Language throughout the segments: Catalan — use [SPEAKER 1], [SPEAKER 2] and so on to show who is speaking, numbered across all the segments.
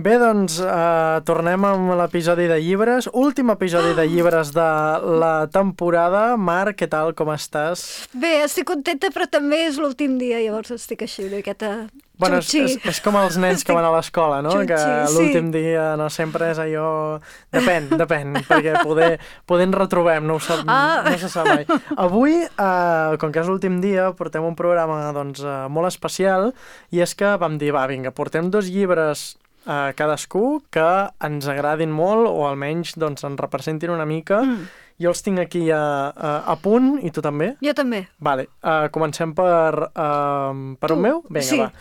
[SPEAKER 1] Bé, doncs, tornem amb l'episodi de llibres. Últim episodi de llibres de la temporada. Mar, què tal, com estàs?
[SPEAKER 2] Bé, estic contenta, però també és l'últim dia, llavors estic així, una miqueta...
[SPEAKER 1] Bueno, és com els nens que van a l'escola, no?
[SPEAKER 2] Xutxi,
[SPEAKER 1] que l'últim dia no sempre és allò... Depèn, perquè poder ens retrobem, no se sap mai. Avui, com que és l'últim dia, portem un programa doncs, molt especial, i és que vam dir, va, vinga, portem 2 llibres cadascú que ens agradin molt, o almenys doncs, ens representin una mica. Jo els tinc aquí a punt, i tu també?
[SPEAKER 2] Jo també.
[SPEAKER 1] Vale, comencem per un meu? Vinga, sí. Va.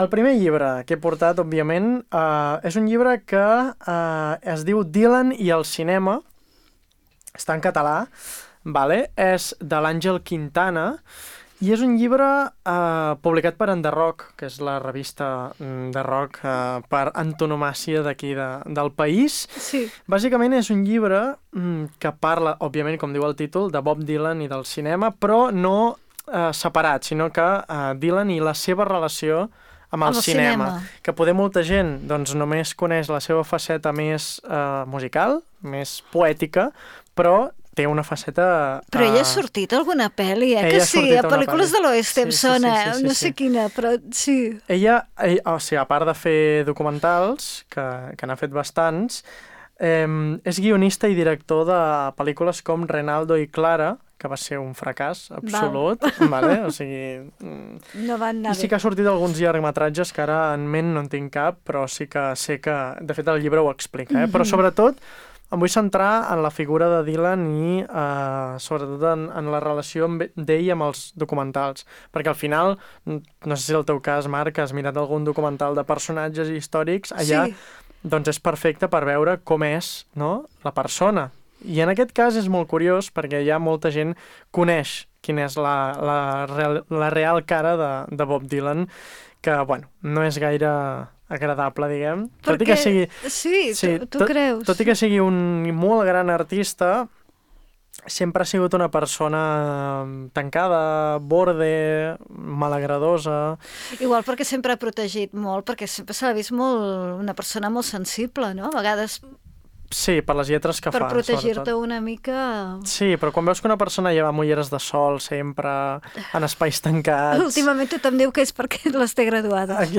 [SPEAKER 1] El primer llibre que he portat, òbviament, és un llibre que es diu Dylan i el cinema. Està en català, vale? És de l'Àngel Quintana, i és un llibre publicat per Enderrock, que és la revista de rock per antonomàcia d'aquí del país.
[SPEAKER 2] Sí.
[SPEAKER 1] Bàsicament és un llibre que parla, òbviament, com diu el títol, de Bob Dylan i del cinema, però no separat, sinó que Dylan i la seva relació amb el cinema. Que poder molta gent doncs, només coneix la seva faceta més musical, més poètica, però té una faceta...
[SPEAKER 2] Però ella ha sortit a alguna pel·li, que sí, a pel·lícules de l'Oest em sona, no sé quina, però sí.
[SPEAKER 1] Ella, o sigui, a part de fer documentals, que n'ha fet bastants, és guionista i director de pel·lícules com Renaldo i Clara, que va ser un fracàs absolut, vale? O sigui...
[SPEAKER 2] No van anar bé.
[SPEAKER 1] I sí que ha sortit alguns llargmetratges que ara en ment no en tinc cap, però sí que sé que, de fet, el llibre ho explica, però sobretot em vull centrar en la figura de Dylan i sobretot en la relació d'ell amb els documentals, perquè al final, no sé si és el teu cas, Marc, has mirat algun documental de personatges històrics, allà doncs és perfecte per veure com és, no?, la persona. I en aquest cas és molt curiós perquè ja molta gent coneix quina és la real cara de Bob Dylan, que, bueno, no és gaire agradable, diguem.
[SPEAKER 2] Perquè,
[SPEAKER 1] tot i que sigui,
[SPEAKER 2] sí, tu creus.
[SPEAKER 1] Tot i que sigui un molt gran artista, sempre ha sigut una persona tancada, borde, malagradosa.
[SPEAKER 2] Igual perquè sempre ha protegit molt, perquè sempre s'ha vist una persona molt sensible, no? A vegades...
[SPEAKER 1] Sí, per les lletres que fa,
[SPEAKER 2] per protegir-te una mica...
[SPEAKER 1] Sí, però quan veus que una persona lleva ulleres de sol sempre, en espais tancats...
[SPEAKER 2] Últimament tothom diu que és perquè les té graduades.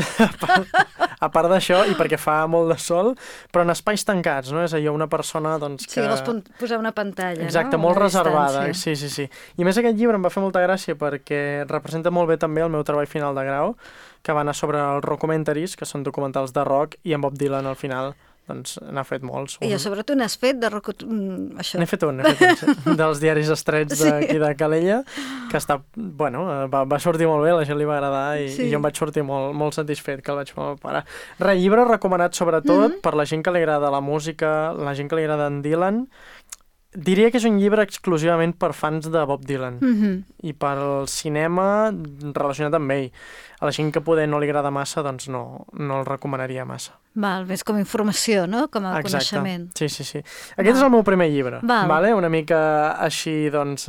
[SPEAKER 1] A part d'això, i perquè fa molt de sol, però en espais tancats, no? És allò una persona, doncs, que...
[SPEAKER 2] Sí, vols posar una pantalla,
[SPEAKER 1] exacte,
[SPEAKER 2] no?
[SPEAKER 1] Molt reservada, sí. I a més aquest llibre em va fer molta gràcia perquè representa molt bé també el meu treball final de grau, que va anar sobre els rockumentaries, que són documentals de rock, i en Bob Dylan al final... doncs n'ha fet molts.
[SPEAKER 2] I sobre tu n'has fet de rock... això.
[SPEAKER 1] N'he fet un, dels diaris estrets d'aquí de Calella, que està, bueno, va sortir molt bé, la gent li va agradar i jo em vaig sortir molt satisfet que el vaig fer al meu pare. Llibre recomanat sobretot per la gent que li agrada la música, la gent que li agrada en Dylan. Diria que és un llibre exclusivament per fans de Bob Dylan i pel cinema relacionat amb ell. A la gent que poder no li agrada massa, doncs no el recomanaria massa.
[SPEAKER 2] Val, més com a informació, no? Com a coneixement.
[SPEAKER 1] Sí. Aquest és el meu primer llibre, vale? Una mica així, doncs,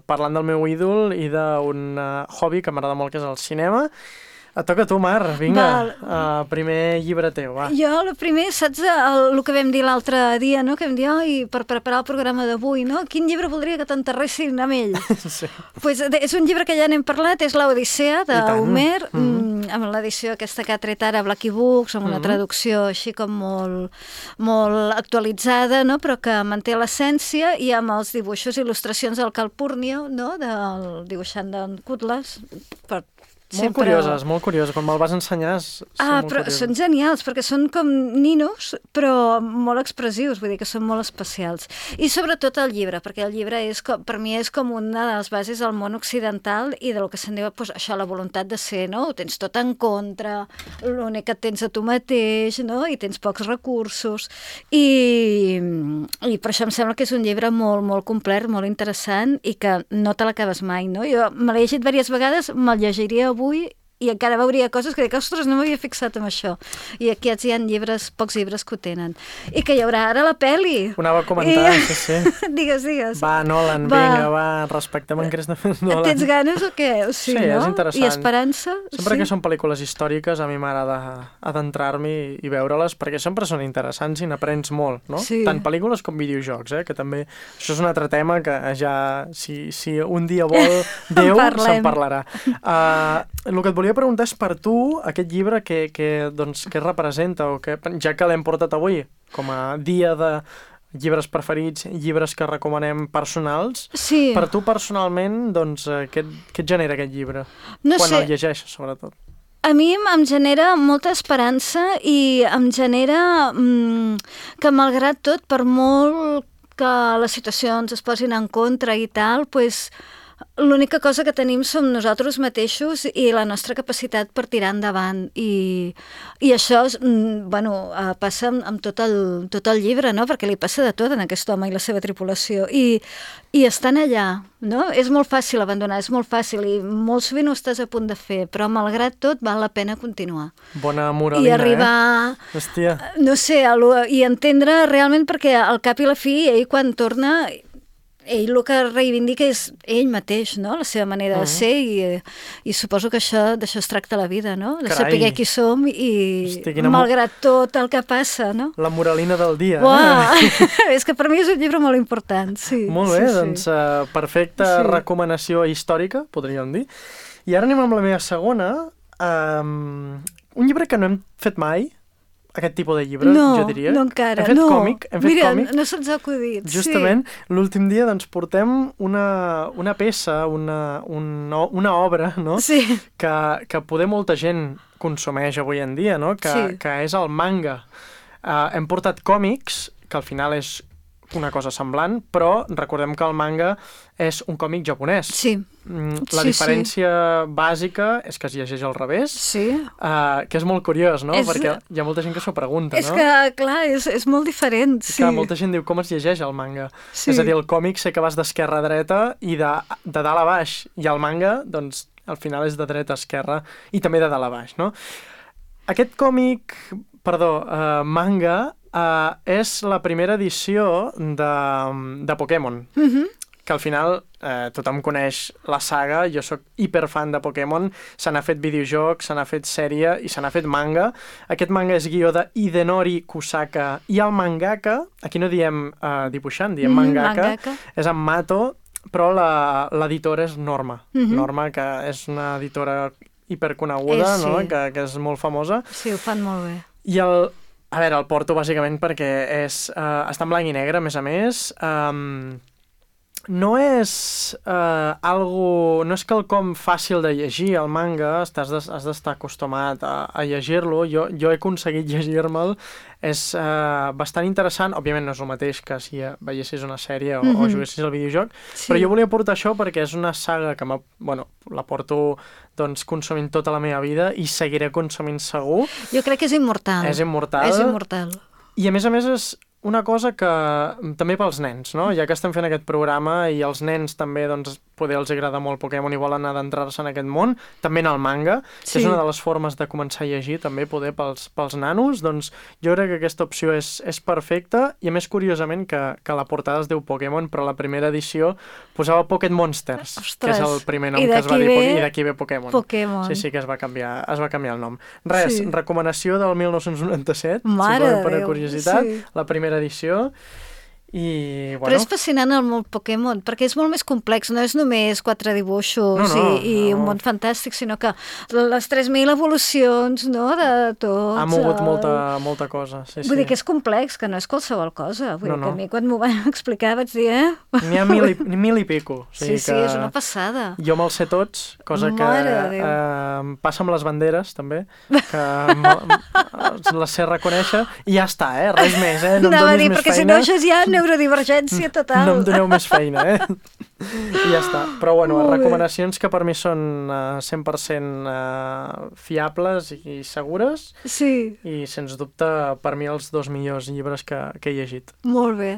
[SPEAKER 1] parlant del meu ídol i d'un hobby que m'agrada molt, que és el cinema. Et toca a tu, Mar, vinga, primer llibre teu, va.
[SPEAKER 2] Jo, el primer, saps el que vam dir l'altre dia, no? Que vam dir, per preparar el programa d'avui, no? Quin llibre voldria que t'enterressin amb ell?
[SPEAKER 1] Sí.
[SPEAKER 2] Pues és un llibre que ja n'hem parlat, és l'Odissea d'Homer, amb l'edició aquesta que ha tret ara Blackie Books, amb una traducció així com molt actualitzada, no? Però que manté l'essència, i amb els dibuixos i il·lustracions del Calpurnio, no? Del dibuixant d'en Cutlass,
[SPEAKER 1] Molt curioses. Quan me'l vas ensenyar
[SPEAKER 2] però són genials, perquè són com ninos, però molt expressius, vull dir que són molt especials. I sobretot el llibre, perquè el llibre per mi és com una de les bases del món occidental i del que se'n diu, això, la voluntat de ser, no? Ho tens tot en contra, l'únic que et tens a tu mateix, no? I tens pocs recursos. I per això em sembla que és un llibre molt, molt complet, molt interessant i que no te l'acabes mai, no? Jo me l'he llegit diverses vegades, me'l llegiria avui i encara veuria coses que dic, ostres, no m'havia fixat en això. I aquí hi ha pocs llibres que ho tenen. I que hi haurà ara la pel·li.
[SPEAKER 1] Ho anava a comentar, sí.
[SPEAKER 2] Digues.
[SPEAKER 1] Va, Nolan, vinga, va, respectem en Christopher Nolan.
[SPEAKER 2] Tens ganes o què?
[SPEAKER 1] Sí, no? És interessant.
[SPEAKER 2] I esperança?
[SPEAKER 1] Sempre que són pel·lícules històriques, a mi m'agrada adentrar-m'hi i veure-les, perquè sempre són interessants i n'aprens molt, no?
[SPEAKER 2] Sí.
[SPEAKER 1] Tant pel·lícules com videojocs, que també... Això és un altre tema que ja, si un dia vol Déu, se'n parlarà. El que et volia preguntar és per tu, aquest llibre que representa, o que, ja que l'hem portat avui com a dia de llibres preferits, llibres que recomanem personals,
[SPEAKER 2] sí.
[SPEAKER 1] Per tu personalment, doncs, què et genera aquest llibre? Quan el llegeixes, sobretot.
[SPEAKER 2] A mi em genera molta esperança i em genera que, malgrat tot, per molt que les situacions es posin en contra i tal, doncs l'única cosa que tenim som nosaltres mateixos i la nostra capacitat per tirar endavant. I això passa amb tot el llibre, no? Perquè li passa de tot en aquest home i la seva tripulació. I estan allà, no? És molt fàcil abandonar, és molt fàcil i molt sovint ho estàs a punt de fer, però malgrat tot val la pena continuar.
[SPEAKER 1] Bona moralina,
[SPEAKER 2] I arribar,
[SPEAKER 1] Hòstia.
[SPEAKER 2] No sé, i entendre realment, perquè al cap i la fi, ell quan torna... Ell el que reivindica és ell mateix, no? La seva manera de ser i suposo que d'això es tracta la vida, no? De saber qui som i malgrat tot el que passa, no?
[SPEAKER 1] La moralina del dia.
[SPEAKER 2] És que per mi és un llibre molt important, sí.
[SPEAKER 1] Molt bé, doncs perfecta recomanació històrica, podríem dir. I ara anem amb la meva segona. Un llibre que no hem fet mai, aquest tipus de llibre, jo diria.
[SPEAKER 2] No, encara.
[SPEAKER 1] Hem fet còmic.
[SPEAKER 2] Mira, no se'ns ha acudit.
[SPEAKER 1] Justament, l'últim dia doncs portem una peça, una obra, no?
[SPEAKER 2] Sí.
[SPEAKER 1] Que poder molta gent consumeix avui en dia, no? Que és el manga. Hem portat còmics, que al final és una cosa semblant, però recordem que el manga és un còmic japonès.
[SPEAKER 2] Sí.
[SPEAKER 1] La diferència bàsica és que es llegeix al revés, que és molt curiós, no? Perquè hi ha molta gent que s'ho pregunta, no?
[SPEAKER 2] És que, clar, és molt diferent, sí.
[SPEAKER 1] Que molta gent diu com es llegeix el manga. Sí. És a dir, el còmic sé que vas d'esquerra a dreta i de dalt a baix, i el manga, doncs, al final és de dreta a esquerra i també de dalt a baix, no? Aquest manga, és la primera edició de Pokémon, que al final tothom coneix la saga, jo sóc hiperfan de Pokémon, se n'ha fet videojoc, se n'ha fet sèrie i se n'ha fet manga. Aquest manga és guió de Hidenori Kusaka i el mangaka, aquí no diem dibuixant, diem mangaka, és en Mato, però l'editora és Norma. Norma, que és una editora hiperconeguda, no? Que és molt famosa.
[SPEAKER 2] Sí, ho fan molt bé.
[SPEAKER 1] I el porto bàsicament perquè està en blanc i negre, a més. No és no és quelcom fàcil de llegir, el manga, has d'estar acostumat a llegir-lo. Jo he aconseguit llegir-me'l, és bastant interessant. Òbviament no és el mateix que si veiessis una sèrie o juguessis al videojoc, però jo volia portar això perquè és una saga que la porto consumint tota la meva vida i seguiré consumint segur.
[SPEAKER 2] Jo crec que és immortal.
[SPEAKER 1] És immortal. I a més és una cosa que també pels nens, no? Ja que estem fent aquest programa i els nens també, poder els agrada molt Pokémon i volen adentrar-se en aquest món, també en el manga, que és una de les formes de començar a llegir, també poder pels nanos, doncs jo crec que aquesta opció és perfecta, i a més, curiosament, que la portada es diu Pokémon, però la primera edició posava Pocket Monsters, que és el primer nom que es va dir, i d'aquí ve Pokémon. Sí, que es va canviar el nom. Res, recomanació del 1997, per curiositat, la primera edició.
[SPEAKER 2] Però és fascinant el món Pokémon, perquè és molt més complex, no és només 4 dibuixos i un món fantàstic, sinó que les 3.000 evolucions, no?, de tots.
[SPEAKER 1] Ha mogut molta cosa, sí.
[SPEAKER 2] Vull dir que és complex, que no és qualsevol cosa. Vull dir que a mi quan m'ho van explicar vaig dir,
[SPEAKER 1] N'hi ha 1.000 i pico.
[SPEAKER 2] Sí, és una passada.
[SPEAKER 1] Jo me'ls sé tots, cosa que passa amb les banderes, també, que les sé reconèixer, i ja està, res més, no em donis més feina.
[SPEAKER 2] Perquè si no això ja neurodivergència total.
[SPEAKER 1] No em doneu més feina, I ja està. Però recomanacions que per mi són 100% fiables i segures.
[SPEAKER 2] Sí.
[SPEAKER 1] I sens dubte per mi els 2 millors llibres que he llegit.
[SPEAKER 2] Molt bé.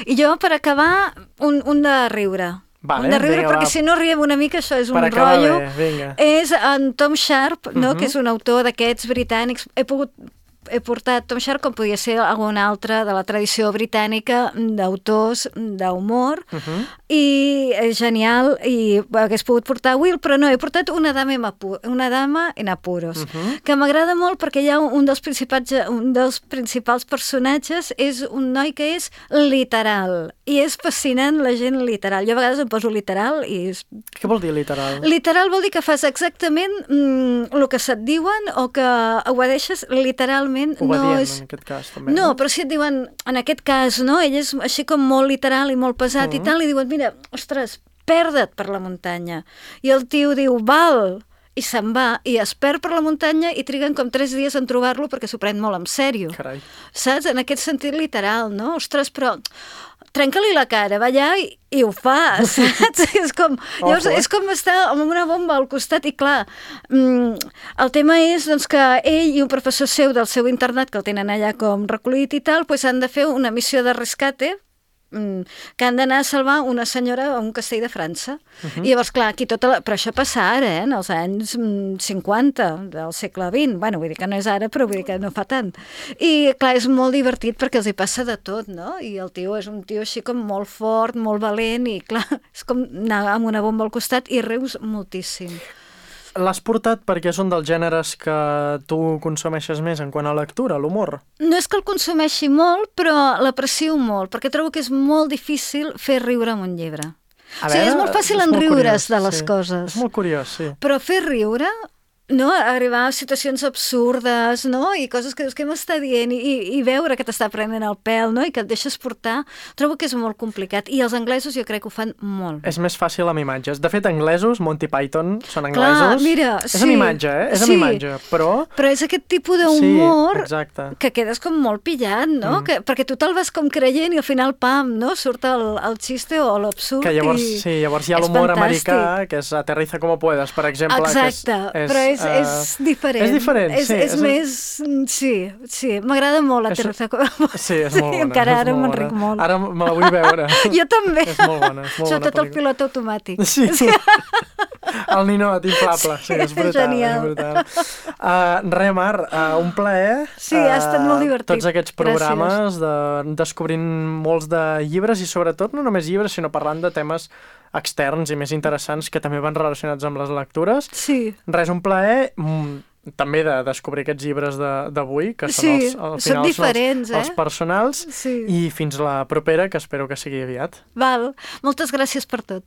[SPEAKER 2] I jo, per acabar, un de riure.
[SPEAKER 1] Vale,
[SPEAKER 2] hem de riure,
[SPEAKER 1] vinga,
[SPEAKER 2] perquè
[SPEAKER 1] va.
[SPEAKER 2] si no riem una mica, això és un
[SPEAKER 1] Per acabar
[SPEAKER 2] rotllo.
[SPEAKER 1] bé, vinga.
[SPEAKER 2] És en Tom Sharp, no? Que és un autor d'aquests britànics. He portat Tom Sharp, com podia ser algun altre de la tradició britànica d'autors d'humor, i és genial, i hagués pogut portar Will, però no, he portat Una dama en apuros, que m'agrada molt perquè hi ha un dels principals personatges, és un noi que és literal, i és fascinant la gent literal. Jo a vegades em poso literal i...
[SPEAKER 1] Què vol dir literal?
[SPEAKER 2] Literal vol dir que fas exactament el que se't diuen o que obedeixes literalment.
[SPEAKER 1] Obedient, en aquest cas, també.
[SPEAKER 2] No, però si et diuen, en aquest cas, no? Ell és així com molt literal i molt pesat i tal, i diuen, mira, ostres, perda't per la muntanya. I el tio diu, val, i se'n va, i es perd per la muntanya i triguen com 3 dies en trobar-lo perquè s'ho pren molt en sèrio.
[SPEAKER 1] Carai.
[SPEAKER 2] Saps? En aquest sentit literal, no? Ostres, però trenca-li la cara, va allà i ho fa, saps? És com, llavors, és com estar amb una bomba al costat i clar, el tema és doncs, que ell i un professor seu del seu internat, que el tenen allà com recollit i tal, doncs han de fer una missió de rescate que han d'anar a salvar una senyora a un castell de França. I llavors, clar, aquí però això passa ara, en els anys 50 del segle XX. Bueno, vull dir que no és ara, però vull dir que no fa tant. I, clar, és molt divertit perquè els hi passa de tot, no? I el tio és un tio així com molt fort, molt valent, i, clar, és com anar amb una bomba al costat i rius moltíssim.
[SPEAKER 1] L'has portat perquè són dels gèneres que tu consumeixes més en quant a lectura, l'humor?
[SPEAKER 2] No és que el consumeixi molt, però l'aprecio molt, perquè trobo que és molt difícil fer riure amb un llibre. O sigui, és molt fàcil enriure's de les coses.
[SPEAKER 1] És molt curiós, sí.
[SPEAKER 2] Però fer riure, no? Arribar a situacions absurdes, no? I coses que dius, què m'està dient? I veure que t'està prenent el pèl, no? I que et deixes portar. Trobo que és molt complicat. I els anglesos jo crec que ho fan molt bé.
[SPEAKER 1] És més fàcil amb imatges. De fet, anglesos, Monty Python, són anglesos.
[SPEAKER 2] Clar, mira,
[SPEAKER 1] és amb imatge, És amb imatge, però...
[SPEAKER 2] Però és aquest tipus d'humor
[SPEAKER 1] que
[SPEAKER 2] quedes com molt pillat, no? Perquè tu te'l vas com creient i al final, pam, no? Surt el xiste o l'absurd.
[SPEAKER 1] Que llavors, llavors hi ha l'humor americà, que és Aterriza como puedas, per exemple.
[SPEAKER 2] Exacte, però és diferent.
[SPEAKER 1] És diferent, sí.
[SPEAKER 2] És més... Sí, m'agrada molt Aterriza como puedas.
[SPEAKER 1] Sí, és molt bona.
[SPEAKER 2] Encara ara me'n ric molt.
[SPEAKER 1] Ara me la vull veure.
[SPEAKER 2] Jo també.
[SPEAKER 1] És molt bona,
[SPEAKER 2] Sobretot el pilot automàtic.
[SPEAKER 1] Sí. El ninot inflable, sí, és brutal.
[SPEAKER 2] Genial.
[SPEAKER 1] Res, Mar, un plaer.
[SPEAKER 2] Sí, ha estat molt divertit.
[SPEAKER 1] Tots aquests programes descobrint molts de llibres i sobretot no només llibres, sinó parlant de temes externs i més interessants que també van relacionats amb les lectures.
[SPEAKER 2] Sí.
[SPEAKER 1] Res, un plaer també de descobrir aquests llibres d'avui, que són al final
[SPEAKER 2] són diferents,
[SPEAKER 1] els personals,
[SPEAKER 2] sí.
[SPEAKER 1] I fins la propera, que espero que sigui aviat.
[SPEAKER 2] Val, moltes gràcies per tot.